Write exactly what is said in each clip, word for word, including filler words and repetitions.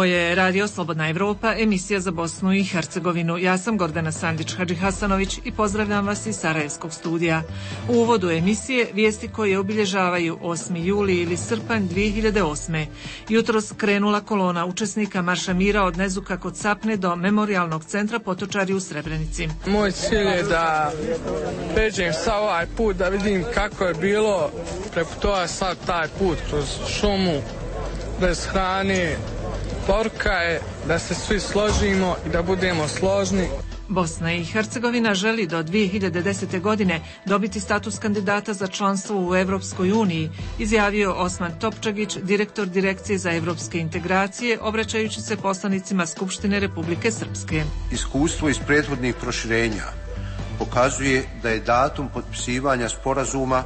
Ovo je Radio Slobodna Evropa, emisija za Bosnu i Hercegovinu. Ja sam Gordana Sandić-Hadžihasanović i pozdravljam vas iz Sarajevskog studija. U uvodu emisije vijesti koje obilježavaju osmi juli ili srpanj dvije hiljade osme. Jutros krenula kolona učesnika Marša mira od Nezuka kod Sapne do Memorijalnog centra Potočari u Srebrenici. Moj cilj je da pređem sa ovaj put, da vidim kako je bilo preputovati sad taj put kroz šumu, bez hrane. Poruka je da se svi složimo i da budemo složni. Bosna i Hercegovina želi do dvije hiljade desete. godine dobiti status kandidata za članstvo u Evropskoj uniji, izjavio Osman Topčagić, direktor Direkcije za evropske integracije, obraćajući se poslanicima Skupštine Republike Srpske. Iskustvo iz prethodnih proširenja pokazuje da je datum potpisivanja sporazuma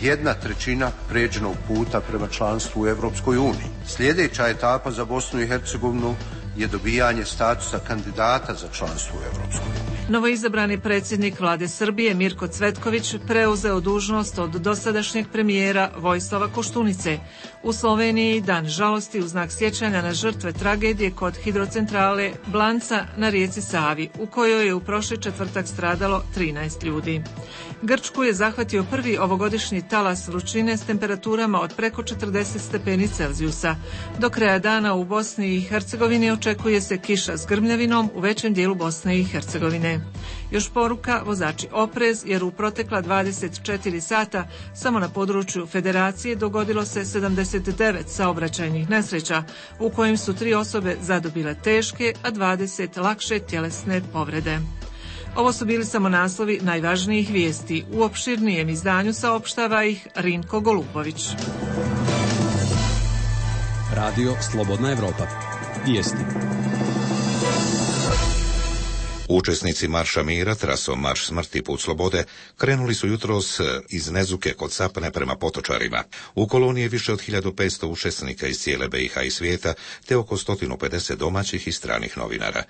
jedna trećina pređenog puta prema članstvu u Evropskoj uniji. Sljedeća etapa za Bosnu i Hercegovinu je dobijanje statusa kandidata za članstvo u Evropskoj uniji. Novoizabrani predsjednik vlade Srbije Mirko Cvetković preuzeo dužnost od dosadašnjeg premijera Vojislava Koštunice. U Sloveniji dan žalosti u znak sjećanja na žrtve tragedije kod hidrocentrale Blanca na rijeci Savi, u kojoj je u prošli četvrtak stradalo trinaest ljudi. Grčku je zahvatio prvi ovogodišnji talas vrućine s temperaturama od preko četrdeset stepeni Celzijusa. Do kraja dana u Bosni i Hercegovini očekuje se kiša s grmljavinom u većem dijelu Bosne i Hercegovine. Još poruka, vozači oprez, jer u protekla dvadeset četiri sata samo na području Federacije dogodilo se sedamdeset devet saobraćajnih nesreća, u kojim su tri osobe zadobile teške, a dvadeset lakše tjelesne povrede. Ovo su bili samo naslovi najvažnijih vijesti. U opširnijem izdanju saopštava ih Rinko Golubović. Radio Slobodna Evropa. Vijesti. Učesnici Marša mira, trasom Marš smrti put slobode, krenuli su jutros iz Nezuke kod Sapne prema Potočarima. U koloniji je više od hiljadu petsto učesnika iz cijele B i H i svijeta, te oko sto pedeset domaćih i stranih novinara.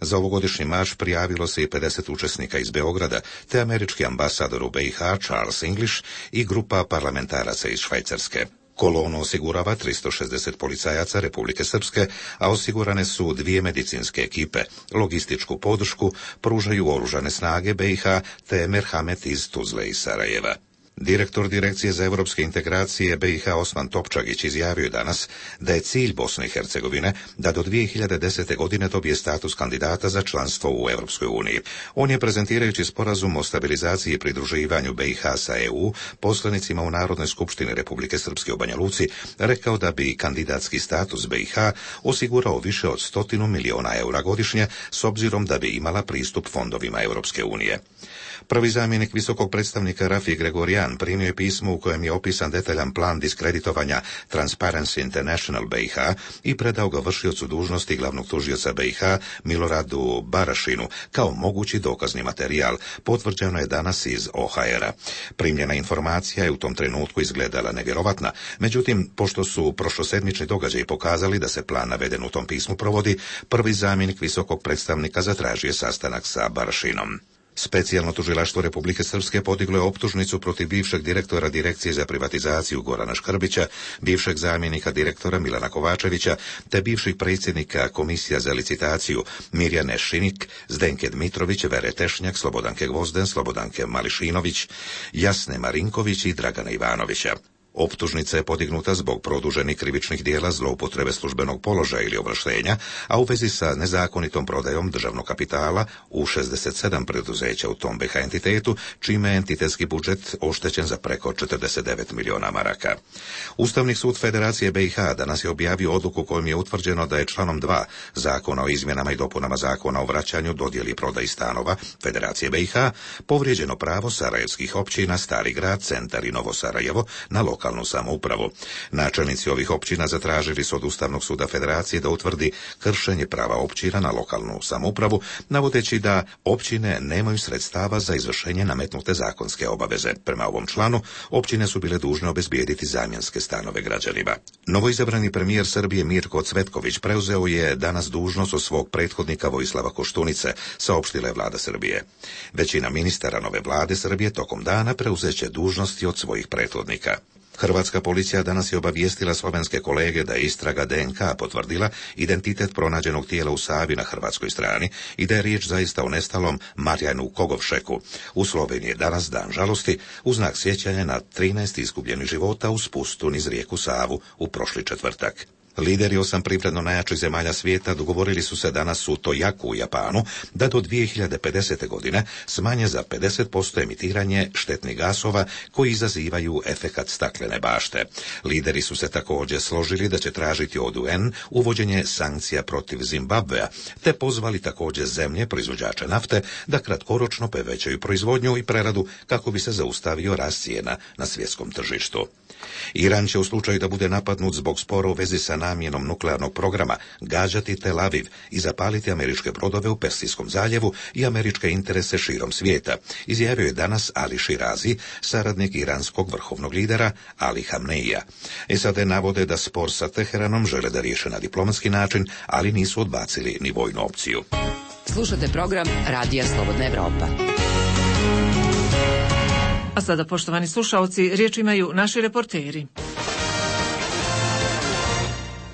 Za ovogodišnji marš prijavilo se i pedeset učesnika iz Beograda, te američki ambasador u B i H Charles English i grupa parlamentaraca iz Švajcarske. Kolonu osigurava tristo šezdeset policajaca Republike Srpske, a osigurane su dvije medicinske ekipe. Logističku podršku pružaju oružane snage B i H te Merhamet iz Tuzle i Sarajeva. Direktor Direkcije za evropske integracije B i H Osman Topčagić izjavio danas da je cilj Bosne i Hercegovine da do dvije hiljade desete. godine dobije status kandidata za članstvo u Evropskoj uniji. On je, prezentirajući sporazum o stabilizaciji i pridruživanju B i H sa E U poslanicima u Narodnoj skupštini Republike Srpske u Banja Luci, rekao da bi kandidatski status B i H osigurao više od stotinu miliona eura godišnje, s obzirom da bi imala pristup fondovima Evropske unije. Prvi zamjenik visokog predstavnika Rafi Gregorijan primio je pismo u kojem je opisan detaljan plan diskreditovanja Transparency International B i H i predao ga vršiocu dužnosti glavnog tužioca B i H Miloradu Barašinu kao mogući dokazni materijal, potvrđeno je danas iz O H R-a. Primljena informacija je u tom trenutku izgledala nevjerovatna, međutim, pošto su prošlosedmični događaji pokazali da se plan naveden u tom pismu provodi, prvi zamjenik visokog predstavnika zatražio sastanak sa Barašinom. Specijalno tužilaštvo Republike Srpske podiglo je optužnicu protiv bivšeg direktora Direkcije za privatizaciju Gorana Škrbića, bivšeg zamjenika direktora Milana Kovačevića, te bivših predsjednika Komisija za licitaciju Mirjane Šinik, Zdenke Dmitrović, Vere Tešnjak, Slobodanke Gvozden, Slobodanke Mališinović, Jasne Marinković i Dragana Ivanovića. Optužnica je podignuta zbog produženih krivičnih dijela zloupotrebe službenog položaja ili ovlaštenja, a u vezi sa nezakonitom prodajom državnog kapitala u šezdeset sedam preduzeća u tom B i H entitetu, čime je entitetski budžet oštećen za preko četrdeset devet miliona maraka. Ustavni sud Federacije B i H danas je objavio odluku kojom je utvrđeno da je članom dva Zakona o izmjenama i dopunama Zakona o vraćanju, dodjeli i prodaji stanova Federacije B i H povrijeđeno pravo sarajevskih općina Stari grad, Centar i Novo Sarajevo na lokalnu samoupravu. Načelnici ovih općina zatražili su od Ustavnog suda Federacije da utvrdi kršenje prava općina na lokalnu samoupravu, navodeći da općine nemaju sredstava za izvršenje nametnute zakonske obaveze. Prema ovom članu, općine su bile dužne obezbijediti zamjenske stanove građanima. Novoizabrani premijer Srbije Mirko Cvetković preuzeo je danas dužnost od svog prethodnika Vojislava Koštunice, saopštila je vlada Srbije. Većina ministara nove vlade Srbije tokom dana preuzeće dužnosti od svojih prethodnika. Hrvatska policija danas je obavijestila slovenske kolege da je istraga de en ka potvrdila identitet pronađenog tijela u Savi na hrvatskoj strani i da je riječ zaista o nestalom Marjanu Kogovšeku. U Sloveniji je danas dan žalosti u znak sjećanja na trinaest izgubljenih života u spustu niz rijeku Savu u prošli četvrtak. Lideri osam privredno najjačih zemalja svijeta dogovorili su se danas u Tojaku u Japanu da do dvije hiljade pedesete. godine smanje za pedeset posto emitiranje štetnih gasova koji izazivaju efekat staklene bašte. Lideri su se također složili da će tražiti od u en uvođenje sankcija protiv Zimbabvea, te pozvali također zemlje proizvođače nafte da kratkoročno povećaju proizvodnju i preradu kako bi se zaustavio rast cijena na svjetskom tržištu. Iran će u slučaju da bude napadnut zbog spora u vezi sa namjenom nuklearnog programa gađati Tel Aviv i zapaliti američke brodove u Persijskom zaljevu i američke interese širom svijeta, izjavio je danas Ali Širazi, saradnik iranskog vrhovnog lidera Ali Hamneija. S A D navode da spor sa Teheranom žele da riješe na diplomatski način, ali nisu odbacili ni vojnu opciju. Slušate program Radija Slobodna Evropa. A sada, poštovani slušaoci, riječ imaju naši reporteri.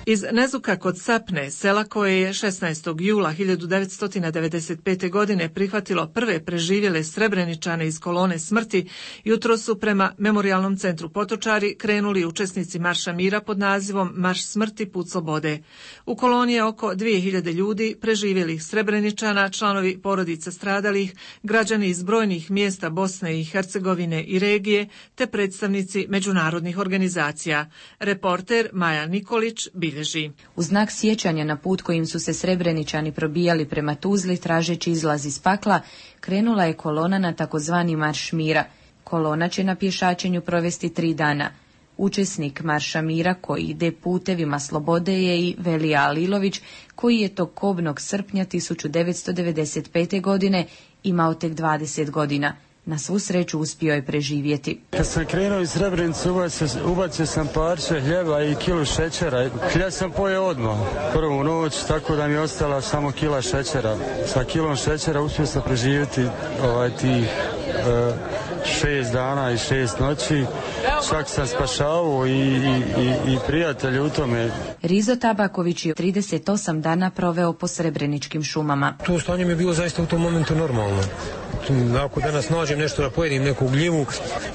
Iz Nezuka kod Sapne, sela koje je šesnaestog jula hiljadu devetsto devedeset pete. godine prihvatilo prve preživjele Srebreničane iz kolone smrti, jutro su prema Memorijalnom centru Potočari krenuli učesnici Marša mira pod nazivom Marš smrti put slobode. U koloni je oko dvije hiljade ljudi, preživjelih Srebreničana, članovi porodica stradalih, građani iz brojnih mjesta Bosne i Hercegovine i regije, te predstavnici međunarodnih organizacija. Reporter Maja Nikolić bilježi. U znak sjećanja na put kojim su se Srebreničani probijali prema Tuzli tražeći izlaz iz pakla, krenula je kolona na takozvani Marš mira. Kolona će na pješačenju provesti tri dana. Učesnik Marša mira koji ide putevima slobode je i Velija Alilović, koji je tog kobnog srpnja hiljadu devetsto devedeset pete. godine imao tek dvadeset godina. Na svu sreću uspio je preživjeti. Kad sam krenuo iz Srebrenice, ubacio, ubacio sam parče hljeba i kilu šećera. Hljeb sam pojeo odmah prvu noć, tako da mi je ostala samo kila šećera. Sa kilom šećera uspio sam preživjeti ovaj, tih uh, šest dana i šest noći. Čak sam spašavao i, i, i, i prijatelje u tome. Rizo Tabaković je trideset osam dana proveo po srebreničkim šumama. To stanje mi je bilo zaista u tom momentu normalno. Ako danas nađem nešto da pojedim, neku gljivu,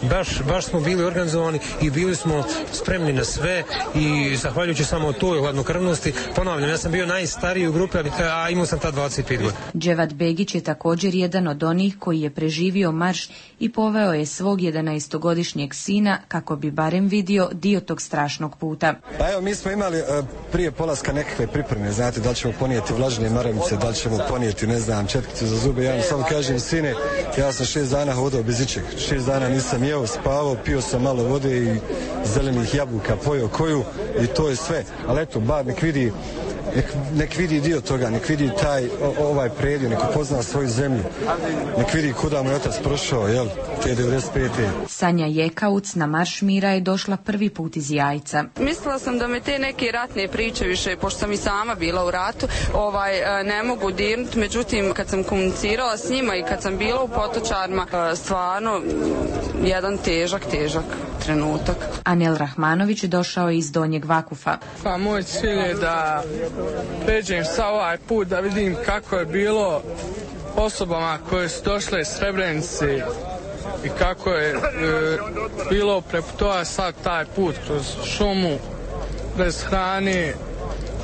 baš, baš smo bili organizovani i bili smo spremni na sve i zahvaljujući samo toj hladnokrvnosti, ponavljam, ja sam bio najstariji u grupi, a imao sam ta dvadeset pet godina. Dževat Begić je također jedan od onih koji je preživio marš i poveo je svog jedanaestogodišnjeg sina kako bi barem vidio dio tog strašnog puta. Pa evo, mi smo imali uh, prije polaska nekakve pripreme, znate, da li ćemo ponijeti vlažne maramice, da li ćemo ponijeti, ne znam, četkicu za zube. Ja vam samo kažem, sine, ja sam šest dana hodao bez ičeg. Šest dana nisam jeo, spavao, pio sam malo vode i zelenih jabuka, pojeo koju i to je sve. Ali eto, bar nek vidi, nek, nek vidi dio toga, nek vidi taj o, ovaj predio, nek upozna svoju zemlju, nek vidi kuda mu je otac prošao, jel, te devedeset pete. Sanja Jekauc na Marš mira je došla prvi put iz Jajca. Mislila sam da me te neke ratne priče više, pošto sam i sama bila u ratu, ovaj, ne mogu dirnuti, međutim kad sam komunicirala s njima i kad sam bila u Potočarima, stvarno jedan težak, težak trenutak. Anel Rahmanović došao je iz Donjeg Vakufa. Pa moj cilj je da pređem sa ovaj put, da vidim kako je bilo osobama koje su došle iz Srebrenice i kako je e, bilo preputovati sad taj put kroz šumu bez hrane.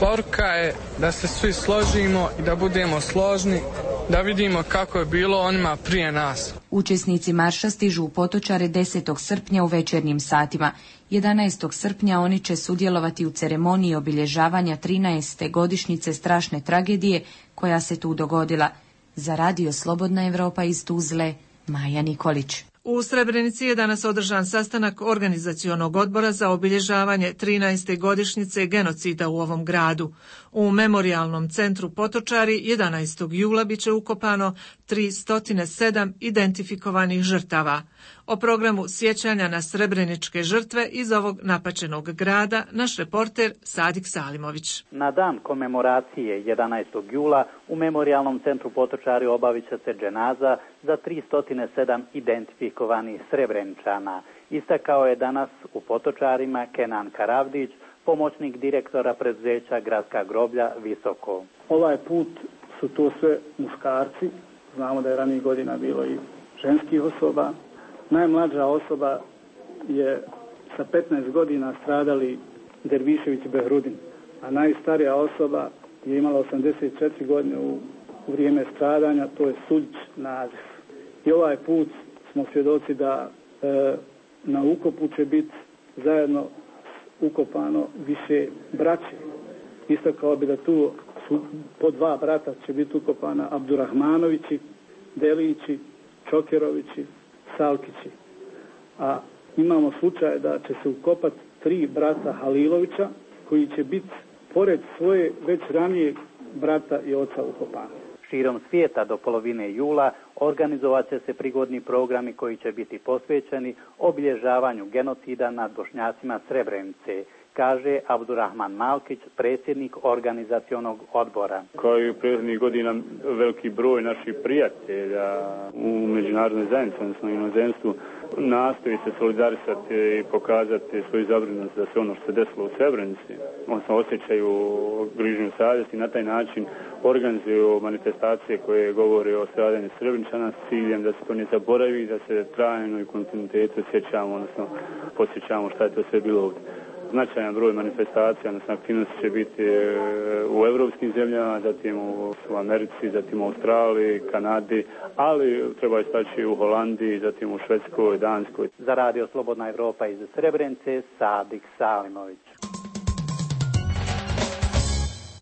Poruka je da se svi složimo i da budemo složni, da vidimo kako je bilo onima prije nas. Učesnici marša stižu u Potočare desetog srpnja u večernjim satima. jedanaestog srpnja oni će sudjelovati u ceremoniji obilježavanja trinaeste godišnjice strašne tragedije koja se tu dogodila. Za Radio Slobodna Evropa iz Tuzle, Maja Nikolić. U Srebrenici je danas održan sastanak organizacionog odbora za obilježavanje trinaeste godišnjice genocida u ovom gradu. U Memorijalnom centru Potočari jedanaestog jula biće ukopano tristo sedam identifikovanih žrtava. O programu sjećanja na srebreničke žrtve iz ovog napačenog grada naš reporter Sadik Salimović. Na dan komemoracije jedanaestog jula u Memorijalnom centru Potočari obavit će se dženaza za tristo sedam identifikovanih odlikovanih Srebreničana. Istakao je danas u Potočarima Kenan Karavdić, pomoćnik direktora preduzeća Gradska groblja Visoko. Ovaj put su to sve muškarci, znamo da je ranijih godina bilo i ženskih osoba. Najmlađa osoba je sa petnaest godina stradali Dervišević Behrudin, a najstarija osoba je imala osamdeset četiri godine u, u vrijeme stradanja, to je Suljić Nazif. I ovaj put smo svjedoci da e, na ukopu će biti zajedno ukopano više braće. Istakao bi da tu su po dva brata će biti ukopana Abdurahmanovići, Delići, Čokerovići, Salkići. A imamo slučaj da će se ukopati tri brata Halilovića koji će biti pored svoje već ranije brata i oca ukopani. Širom svijeta do polovine jula organizovat će se prigodni programi koji će biti posvećeni obilježavanju genocida nad Bošnjacima Srebrenice, kaže Abdurrahman Malkić, predsjednik organizacionog odbora. Kao i u prethodnih godina veliki broj naših prijatelja u međunarodnoj zajednici, odnosno inozemstvu, nastoji se solidarisati i pokazati svoju zabrinutost da se ono što se desilo u Srebrenici, odnosno osjećaju grižnju savjesti i na taj način organizuju manifestacije koje govore o stradanju Srebreničana s ciljem da se to ne zaboravi, da se trajno i kontinuitetu sjećamo, odnosno posjećamo šta je to sve bilo ovdje. Značajan broj manifestacija, odnosno aktivnosti će biti u evropskim zemljama, zatim u Americi, zatim u Australiji, Kanadi, ali treba istaći u Holandiji, zatim u Švedskoj, Danskoj. Za Radio Slobodna Evropa iz Srebrenice, Sadik Salimović.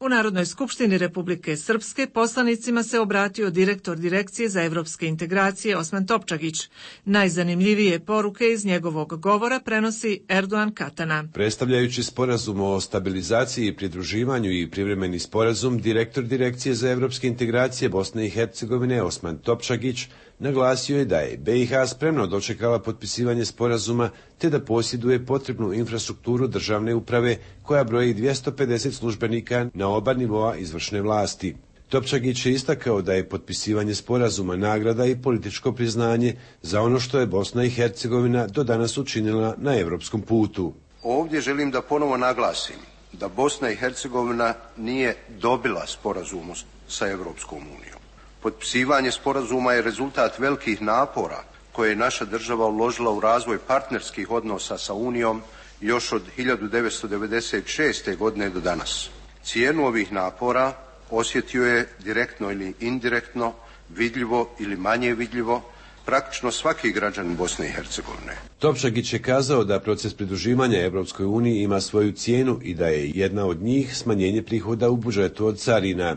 U Narodnoj skupštini Republike Srpske poslanicima se obratio direktor Direkcije za evropske integracije Osman Topčagić. Najzanimljivije poruke iz njegovog govora prenosi Erdogan Katana. Predstavljajući sporazum o stabilizaciji i pridruživanju i privremeni sporazum, direktor Direkcije za evropske integracije Bosne i Hercegovine Osman Topčagić naglasio je da je B i H spremno dočekala potpisivanje sporazuma te da posjeduje potrebnu infrastrukturu državne uprave koja broji dvjesto pedeset službenika na oba nivoa izvršne vlasti. Topčagić je istakao da je potpisivanje sporazuma nagrada i političko priznanje za ono što je Bosna i Hercegovina do danas učinila na evropskom putu. Ovdje želim da ponovo naglasim da Bosna i Hercegovina nije dobila sporazum sa Evropskom unijom. Potpisivanje sporazuma je rezultat velikih napora koje je naša država uložila u razvoj partnerskih odnosa sa Unijom još od hiljadu devetsto devedeset šeste. godine do danas. Cijenu ovih napora osjetio je direktno ili indirektno, vidljivo ili manje vidljivo, praktično svaki građanin Bosne i Hercegovine. Topčagić je kazao da proces pridruživanja Evropskoj uniji ima svoju cijenu i da je jedna od njih smanjenje prihoda u budžetu od carina.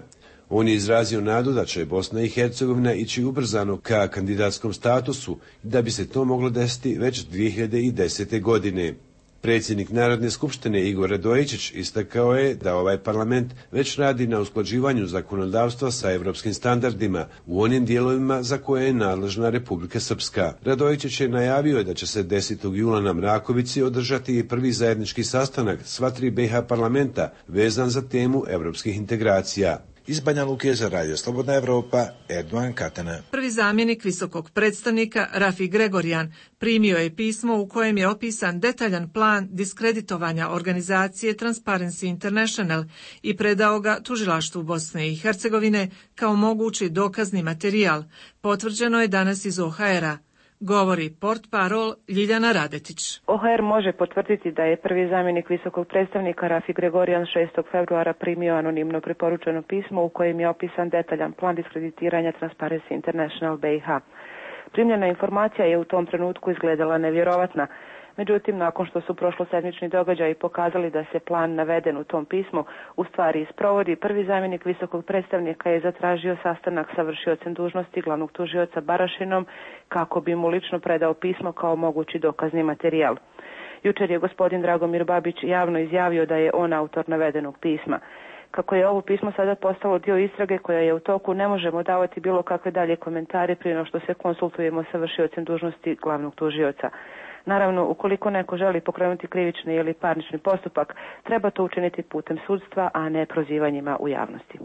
On je izrazio nadu da će Bosna i Hercegovina ići ubrzano ka kandidatskom statusu i da bi se to moglo desiti već dvije hiljade desete. godine. Predsjednik Narodne skupštine Igor Radojičić istakao je da ovaj parlament već radi na usklađivanju zakonodavstva sa evropskim standardima u onim dijelovima za koje je nadležna Republika Srpska. Radojičić je najavio da će se desetog jula na Mrakovici održati i prvi zajednički sastanak sva tri B i H parlamenta vezan za temu evropskih integracija. Iz Banja Luke za Radio Slobodna Evropa, Erdogan Katana. Prvi zamjenik visokog predstavnika Rafi Gregorijan primio je pismo u kojem je opisan detaljan plan diskreditovanja organizacije Transparency International i predao ga tužilaštvu Bosne i Hercegovine kao mogući dokazni materijal. Potvrđeno je danas iz O H R-a. Govori portparol Ljiljana Radetić. O H R može potvrditi da je prvi zamjenik visokog predstavnika Rafi Gregorijan šestog februara primio anonimno preporučeno pismo u kojem je opisan detaljan plan diskreditiranja Transparency International B i H. Primljena informacija je u tom trenutku izgledala nevjerovatna. Međutim, nakon što su prošlosedmični događaji pokazali da se plan naveden u tom pismu u stvari isprovodi, prvi zamjenik visokog predstavnika je zatražio sastanak sa vršiocem dužnosti glavnog tužioca Barašinom kako bi mu lično predao pismo kao mogući dokazni materijal. Jučer je gospodin Dragomir Babić javno izjavio da je on autor navedenog pisma. Kako je ovo pismo sada postalo dio istrage koja je u toku, ne možemo davati bilo kakve dalje komentare prije no što se konsultujemo sa vršiocem dužnosti glavnog tužioca. Naravno, ukoliko neko želi pokrenuti krivični ili parnični postupak, treba to učiniti putem sudstva, a ne prozivanjima u javnosti.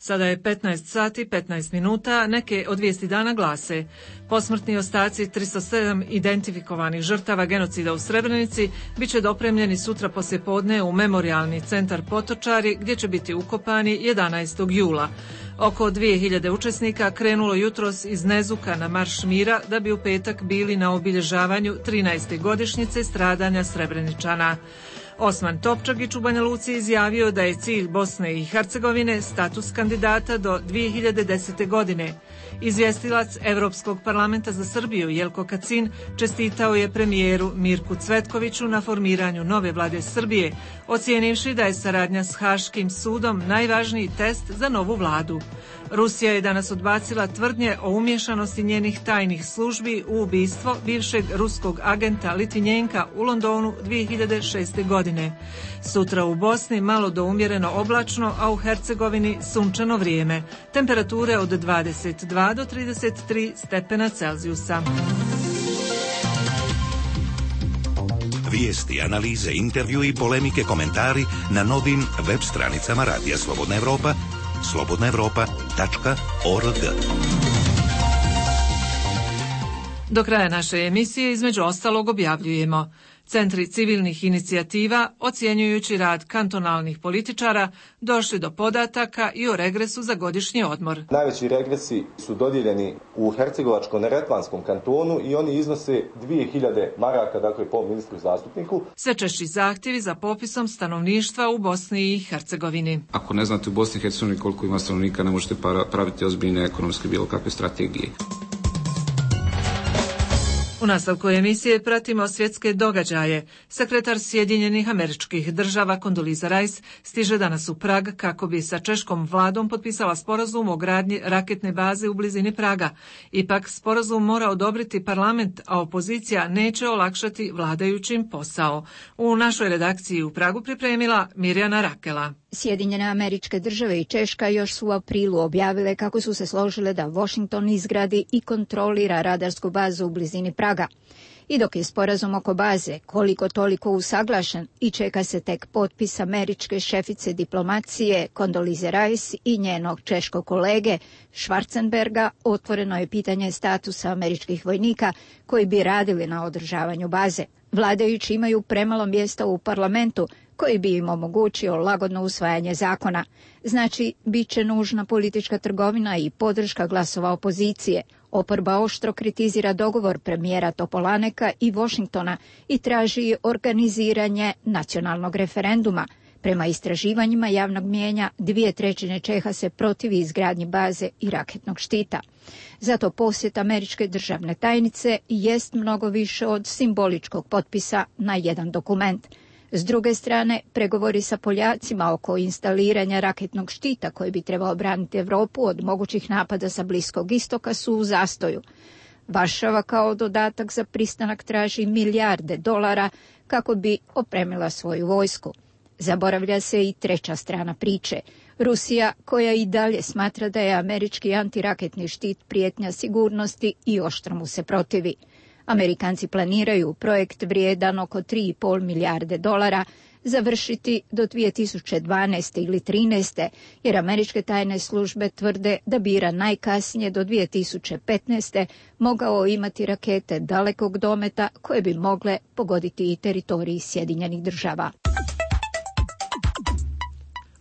Sada je petnaest sati petnaest minuta, neke od vijesti dana glase: posmrtni ostaci tristo sedam identifikovanih žrtava genocida u Srebrenici bit će dopremljeni sutra poslijepodne u Memorijalni centar Potočari, gdje će biti ukopani jedanaestog jula. Oko dvije hiljade učesnika krenulo jutros iz Nezuka na Marš mira da bi u petak bili na obilježavanju trinaeste godišnjice stradanja Srebreničana. Osman Topčagić u Banja Luci izjavio da je cilj Bosne i Hercegovine status kandidata do dvije hiljade desete. godine. Izvjestilac Europskog parlamenta za Srbiju Jelko Kacin čestitao je premijeru Mirku Cvetkoviću na formiranju nove vlade Srbije, ocijenivši da je saradnja s Haškim sudom najvažniji test za novu vladu. Rusija je danas odbacila tvrdnje o umješanosti njenih tajnih službi u ubistvo bivšeg ruskog agenta Litvinjenka u Londonu dvije hiljade šeste. godine. Sutra u Bosni malo do umjereno oblačno, a u Hercegovini sunčano vrijeme. Temperature od dvadeset dva do trideset tri stepena Celzijusa. Vijesti, analize, intervju i polemike, komentari na novim web stranicama Radija Slobodna Evropa, slobodna evropa tačka org. Do kraja naše emisije između ostalog objavljujemo: centri civilnih inicijativa, ocjenjujući rad kantonalnih političara, došli do podataka i o regresu za godišnji odmor. Najveći regresi su dodijeljeni u Hercegovačko-neretvanskom kantonu i oni iznose dvije hiljade maraka, dakle po ministru zastupniku. Sve češći zahtjevi za popisom stanovništva u Bosni i Hercegovini. Ako ne znate u Bosni i Hercegovini koliko ima stanovnika, ne možete praviti ozbiljne ekonomske bilo kakve strategije. U nastavku emisije pratimo svjetske događaje. Sekretar Sjedinjenih Američkih Država Condoleezza Rice stiže danas u Prag kako bi sa češkom vladom potpisala sporazum o gradnji raketne baze u blizini Praga. Ipak sporazum mora odobriti parlament, a opozicija neće olakšati vladajućim posao. U našoj redakciji u Pragu pripremila Mirjana Rakela. Sjedinjene Američke Države i Češka još su u aprilu objavile kako su se složile da Washington izgradi i kontrolira radarsku bazu u blizini Praga. I dok je sporazum oko baze koliko toliko usaglašen i čeka se tek potpis američke šefice diplomacije Condoleezza Rice i njenog češkog kolege Schwarzenberga, otvoreno je pitanje statusa američkih vojnika koji bi radili na održavanju baze. Vladajući imaju premalo mjesta u parlamentu koji bi im omogućio lagodno usvajanje zakona. Znači, bit će nužna politička trgovina i podrška glasova opozicije. Oporba oštro kritizira dogovor premijera Topolaneka i Washingtona i traži organiziranje nacionalnog referenduma. Prema istraživanjima javnog mijenja, dvije trećine Čeha se protivi izgradnji baze i raketnog štita. Zato posjet američke državne tajnice jest mnogo više od simboličkog potpisa na jedan dokument. S druge strane, pregovori sa Poljacima oko instaliranja raketnog štita koji bi trebao braniti Europu od mogućih napada sa Bliskog istoka su u zastoju. Varšava kao dodatak za pristanak traži milijarde dolara kako bi opremila svoju vojsku. Zaboravlja se i treća strana priče. Rusija, koja i dalje smatra da je američki antiraketni štit prijetnja sigurnosti i oštro mu se protivi. Amerikanci planiraju projekt vrijedan oko tri i pol milijarde dolara završiti do dvije tisuće dvanaeste ili trinaeste, jer američke tajne službe tvrde da bi Iran najkasnije do dvije tisuće petnaeste mogao imati rakete dalekog dometa koje bi mogle pogoditi i teritorij Sjedinjenih Država.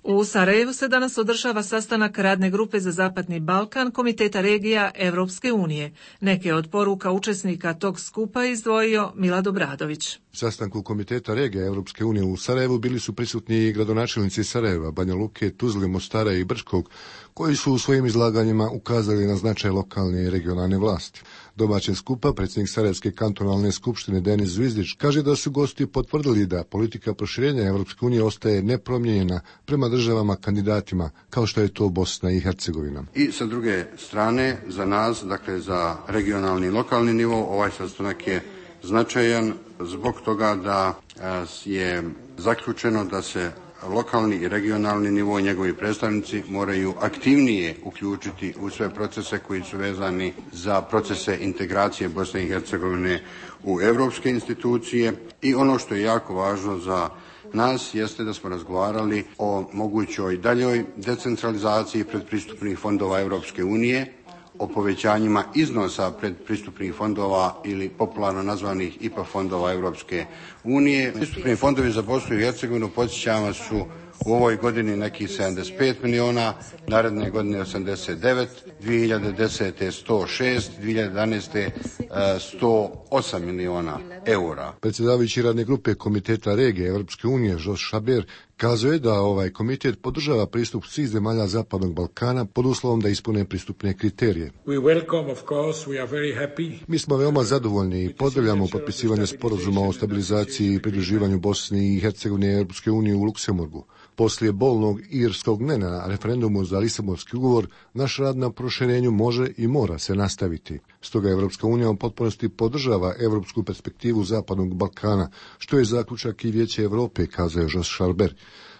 U Sarajevu se danas održava sastanak radne grupe za Zapadni Balkan Komiteta regija Evropske unije. Neke od poruka učesnika tog skupa izdvojio Milad Obradović. Sastanku Komiteta regija Evropske unije u Sarajevu bili su prisutni i gradonačelnici Sarajeva, Banja Luke, Tuzle, Mostara i Brčkog, koji su u svojim izlaganjima ukazali na značaj lokalne i regionalne vlasti. Domaćin skupa, predsjednik Sarajevske kantonalne skupštine Denis Zvizdić, kaže da su gosti potvrdili da politika proširenja Evropske unije ostaje nepromijenjena prema državama kandidatima, kao što je to Bosna i Hercegovina. I sa druge strane, za nas, dakle za regionalni i lokalni nivo, ovaj sastanak je značajan zbog toga da je zaključeno da se lokalni i regionalni nivo i njegovi predstavnici moraju aktivnije uključiti u sve procese koji su vezani za procese integracije Bosne i Hercegovine u europske institucije i ono što je jako važno za nas jeste da smo razgovarali o mogućoj daljoj decentralizaciji predpristupnih fondova Europske unije, o povećanjima iznosa predpristupnih fondova ili popularno nazvanih I P A fondova Europske unije. Pristupni fondovi za Bosnu i Hercegovinu, podsjećam, su u ovoj godini nekih sedamdeset pet miliona, naredne godine osamdeset devet, dvije hiljade desete sto šest, dvije hiljade jedanaeste sto osam miliona eura. Predsjedavajući radne grupe Komiteta regije Europske unije Jos Šaber kazuje da ovaj komitet podržava pristup svih zemalja Zapadnog Balkana pod uslovom da ispune pristupne kriterije. We welcome, of course, we are very happy. Mi smo veoma zadovoljni i pozdravljamo potpisivanje sporazuma o stabilizaciji i pridruživanju Bosne i Hercegovine Europske unije u Luksemburgu. Poslije bolnog irskog ne na referendumu za Lisabonski ugovor, naš rad na proširenju može i mora se nastaviti. Stoga Europska unija u potpunosti podržava europsku perspektivu Zapadnog Balkana, što je zaključak i Vijeće Europe, kazao Jos Šarber.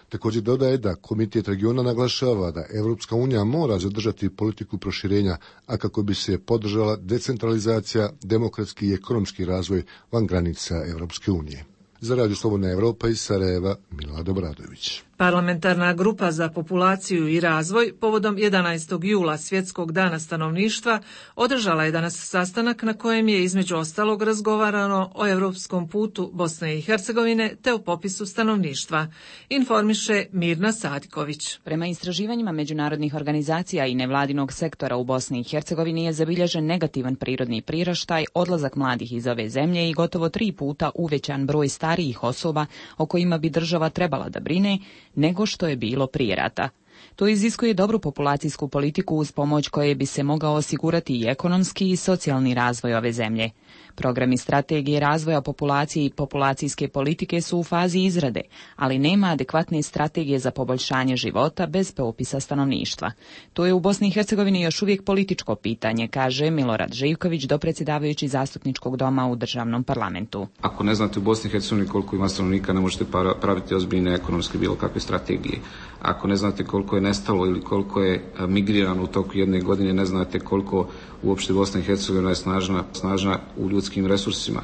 Također dodaje da Komitet regiona naglašava da Europska unija mora zadržati politiku proširenja, a kako bi se podržala decentralizacija, demokratski i ekonomski razvoj van granica Europske unije. Za Radio Slobodna Evropa iz Sarajeva, Milad Obradović. Parlamentarna grupa za populaciju i razvoj povodom jedanaestog jula Svjetskog dana stanovništva održala je danas sastanak na kojem je između ostalog razgovarano o europskom putu Bosne i Hercegovine te o popisu stanovništva, informiše Mirna Sadiković. Prema istraživanjima međunarodnih organizacija i nevladinog sektora u Bosni i Hercegovini je zabilježen negativan prirodni priraštaj, odlazak mladih iz ove zemlje i gotovo tri puta uvećan broj starijih osoba o kojima bi država trebala da brine, nego što je bilo prije rata. To iziskuje dobru populacijsku politiku uz pomoć koje bi se mogao osigurati i ekonomski i socijalni razvoj ove zemlje. Programi strategije razvoja populacije i populacijske politike su u fazi izrade, ali nema adekvatne strategije za poboljšanje života bez popisa stanovništva. To je u Bosni i Hercegovini još uvijek političko pitanje, kaže Milorad Živković, dopredsjedavajući zastupničkog doma u državnom parlamentu. Ako ne znate u Bosni i Hercegovini koliko ima stanovnika, ne možete praviti ozbiljne ekonomske bilo kakve strategije. Ako ne znate koliko je nestalo ili koliko je migrirano u toku jedne godine, ne znate koliko uopšte Bosna i Hercegovina je snažna, snažna u ljudskim resursima.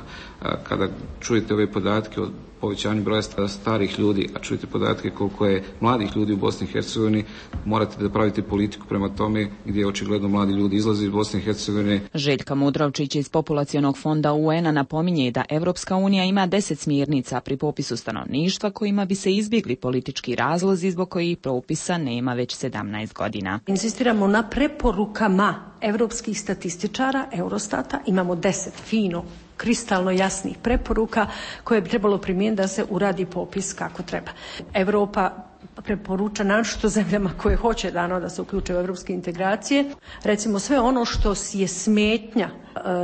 Kada čujete ove podatke o povećanju broja starih ljudi, a čujete podatke koliko je mladih ljudi u Bosni i Hercegovini, morate da pravite politiku prema tome gdje očigledno mladi ljudi izlaze iz Bosne i Hercegovine. Željka Mudrovčić iz Populacionog fonda U N-a napominje da Evropska unija ima deset smjernica pri popisu stanovništva kojima bi se izbjegli politički razlozi zbog kojih propisa nema već sedamnaest godina. Insistiramo na preporukama evropskih statističara, Eurostata, imamo deset fino kristalno jasnih preporuka koje bi trebalo primijeniti da se uradi popis kako treba. Europa preporuča naročito zemljama koje hoće dano da se uključe u evropske integracije. Recimo sve ono što je smetnja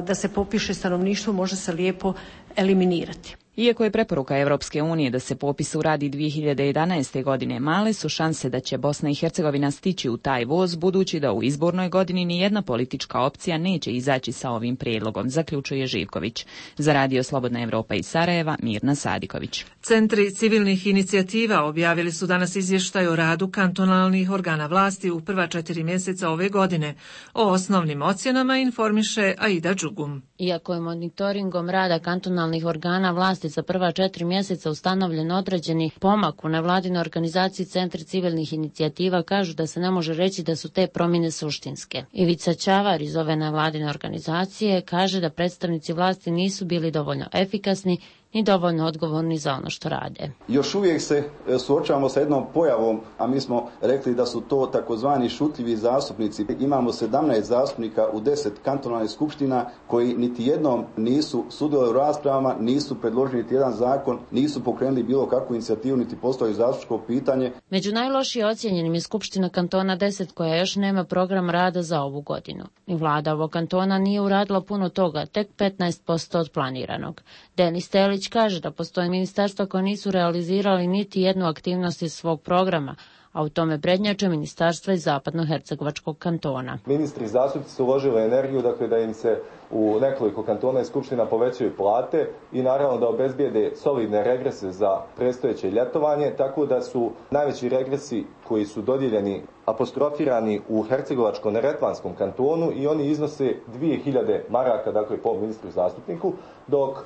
da se popiše stanovništvo može se lijepo eliminirati. Iako je preporuka Europske unije da se popis uradi dvije hiljade jedanaeste. godine, male su šanse da će Bosna i Hercegovina stići u taj voz, budući da u izbornoj godini ni jedna politička opcija neće izaći sa ovim prijedlogom, zaključuje Živković. Za Radio Slobodna Evropa iz Sarajeva, Mirna Sadiković. Centri civilnih inicijativa objavili su danas izvještaj o radu kantonalnih organa vlasti u prva četiri mjeseca ove godine. O osnovnim ocjenama informiše Aida Đugum. Iako je monitoringom rada kantonalnih organa vlasti za prva četiri mjeseca ustanovljen određeni pomak u nevladinoj organizaciji, centri civilnih inicijativa kažu da se ne može reći da su te promjene suštinske. Ivica Ćavar iz ove nevladine organizacije kaže da predstavnici vlasti nisu bili dovoljno efikasni ni dovoljno odgovorni za ono što rade. Još uvijek se suočavamo sa jednom pojavom, a mi smo rekli da su to takozvani šutljivi zastupnici. Imamo sedamnaest zastupnika u deset kantonalnih skupština koji niti jednom nisu sudjelovali u raspravama, nisu predložili niti jedan zakon, nisu pokrenuli bilo kakvu inicijativu, niti postavili zastupničko pitanje. Među najlošije ocijenjenim je Skupština kantona deset koja još nema program rada za ovu godinu. I vlada ovog kantona nije uradila puno toga, tek petnaest posto od planiranog. Denis Telić kaže da postoje ministarstva koja nisu realizirali niti jednu aktivnost iz svog programa, a u tome prednjače ministarstva iz zapadnohercegovačkog kantona. Ministri i zastupnici su uložili energiju, dakle, da im se u nekoliko kantona i skupština povećaju plate i naravno da obezbijede solidne regrese za predstojeće ljetovanje, tako da su najveći regresi koji su dodijeljeni apostrofirani u Hercegovačko-neretvanskom kantonu i oni iznose dvije hiljade maraka, dakle po ministru i zastupniku, dok e,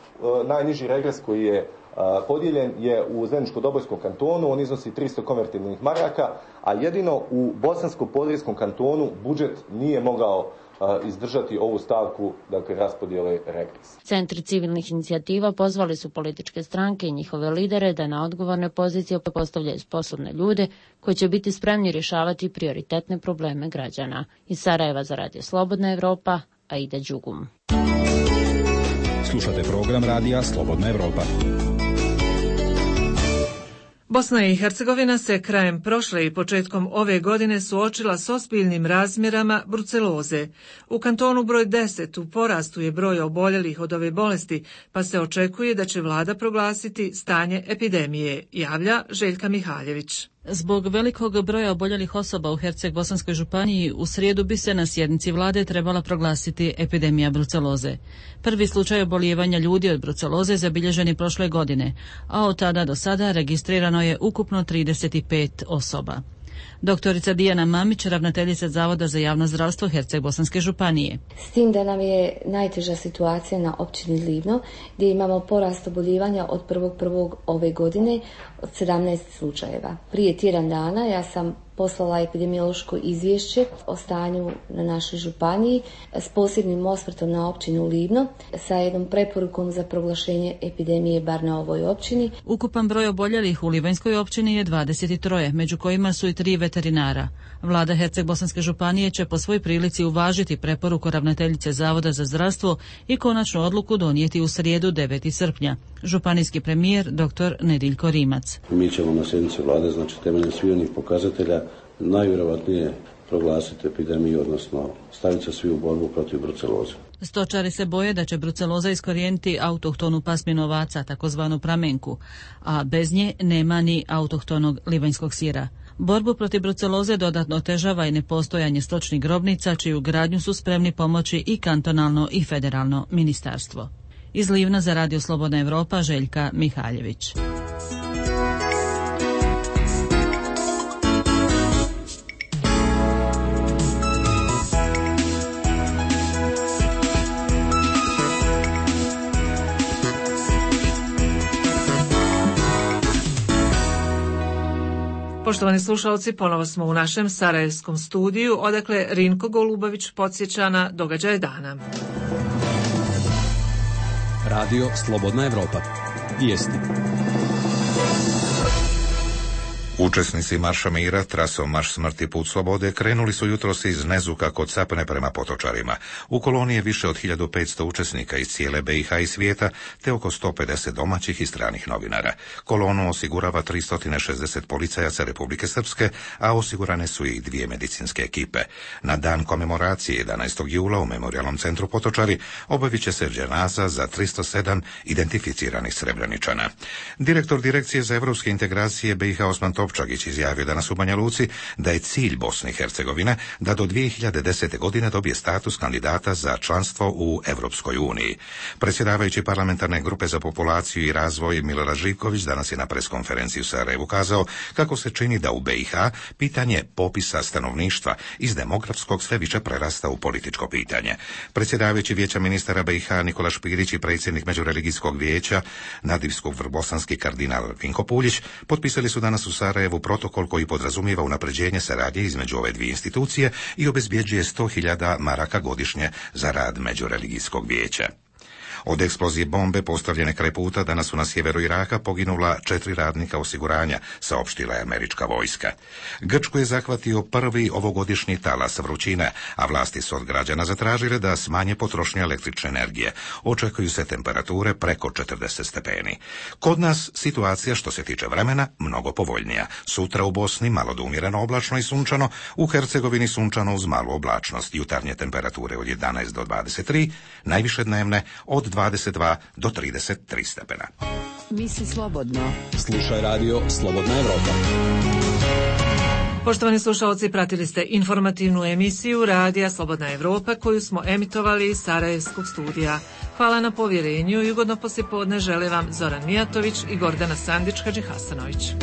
najniži regres koji je podijeljen je u Zeničko-Dobojskom kantonu, on iznosi tristo konvertibilnih maraka, a jedino u Bosansko-Podrijskom kantonu budžet nije mogao izdržati ovu stavku, dakle, raspodjele regresa. Centri civilnih inicijativa pozvali su političke stranke i njihove lidere da na odgovorne pozicije postavljaju sposobne ljude koji će biti spremni rješavati prioritetne probleme građana. Iz Sarajeva za Radio Slobodna Evropa, Aida Đugum. Slušate program Radija Slobodna Evropa. Bosna i Hercegovina se krajem prošle i početkom ove godine suočila s ozbiljnim razmjerama bruceloze. U kantonu broj deset u porastu je broj oboljelih od ove bolesti, pa se očekuje da će vlada proglasiti stanje epidemije, javlja Željka Mihaljević. Zbog velikog broja oboljelih osoba u Herceg-Bosanskoj županiji, u srijedu bi se na sjednici vlade trebala proglasiti epidemija bruceloze. Prvi slučaj obolijevanja ljudi od bruceloze zabilježen je prošle godine, a od tada do sada registrirano je ukupno trideset pet osoba. Doktorica Dijana Mamić, ravnateljica Zavoda za javno zdravstvo Herceg-Bosanske županije. S tim da nam je najteža situacija na općini Livno, gdje imamo porast oboljevanja od prvog prvog ove godine od sedamnaest slučajeva. Prije tjedan dana ja sam poslala epidemiološko izvješće o stanju na našoj županiji s posebnim osvrtom na općinu Livno sa jednom preporukom za proglašenje epidemije bar na ovoj općini. Ukupan broj oboljelih u Livanjskoj općini je dvadeset tri, među kojima su i tri veterinara. Vlada Herceg-Bosanske županije će po svoj prilici uvažiti preporuku ravnateljice Zavoda za zdravstvo i konačnu odluku donijeti u srijedu devetog srpnja. Županijski premijer dr. Nediljko Rimac. Mi ćemo na sjednici vlade, znači temeljem svih onih pokazatelja, najvjerojatnije proglasiti epidemiju, odnosno staviti se svi u borbu protiv bruceloze. Stočari se boje da će bruceloza iskorijeniti autohtonu pasminu ovaca, takozvanu pramenku, a bez nje nema ni autohtonog livanjskog sira. Borbu protiv bruceloze dodatno otežava i nepostojanje stočnih grobnica, čiju gradnju su spremni pomoći i kantonalno i federalno ministarstvo. Iz Livna za Radio Slobodna Evropa, Željka Mihaljević. Poštovani slušalci, ponovo smo u našem sarajevskom studiju, odakle Rinko Golubović podsjeća na događaje dana. Radio Slobodna Evropa. Vijesti. Učesnici Marša mira trasom Marš smrti put slobode krenuli su jutros iz Nezuka kod Sapne prema Potočarima. U koloniji je više od hiljadu petsto učesnika iz cijele B i H i svijeta, te oko sto pedeset domaćih i stranih novinara. Kolonu osigurava tristo šezdeset policajaca Republike Srpske, a osigurane su i dvije medicinske ekipe. Na dan komemoracije jedanaestog jula u Memorijalnom centru Potočari obavit će se dženaza za tristo sedam identificiranih Srebreničana. Direktor Direkcije za evropske integracije B i H Osman Topčagić izjavio danas u Banja Luci da je cilj Bosne i Hercegovine da do dvije hiljade desete. godine dobije status kandidata za članstvo u Evropskoj uniji. Predsjedavajući parlamentarne grupe za populaciju i razvoj Milorad Živković danas je na preskonferenciji u Sarajevu kazao kako se čini da u B i H pitanje popisa stanovništva iz demografskog sve više prerasta u političko pitanje. Predsjedavajući Vijeća ministara B i H Nikola Špirić i predsjednik Međureligijskog vijeća nadivskog vrbosanski kardinal Vinko Puljić potpisali su danas u Sarajevu protokol koji podrazumijeva unapređenje saradnje između ove dvije institucije i obezbjeđuje sto hiljada maraka godišnje za rad Međureligijskog vijeća. Od eksplozije bombe postavljene kraj puta danas su na sjeveru Iraka poginula četiri radnika osiguranja, saopštila je američka vojska. Grčku je zahvatio prvi ovogodišnji talas vrućine, a vlasti su od građana zatražile da smanje potrošnju električne energije. Očekuju se temperature preko četrdeset stepeni. Kod nas situacija što se tiče vremena mnogo povoljnija. Sutra u Bosni malo do umjereno oblačno i sunčano, u Hercegovini sunčano uz malu oblačnost. Jutarnje temperature od jedanaest do dvadeset tri, najviše dnevne od dvadeset dva do trideset tri stepena. Misli slobodno. Slušaj radio Slobodna Evropa. Poštovani slušalci, pratili ste informativnu emisiju Radija Slobodna Evropa koju smo emitovali iz Sarajevskog studija. Hvala na povjerenju i ugodno poslijepodne žele vam Zoran Mijatović i Gordana Sandić-Hadžihasanović.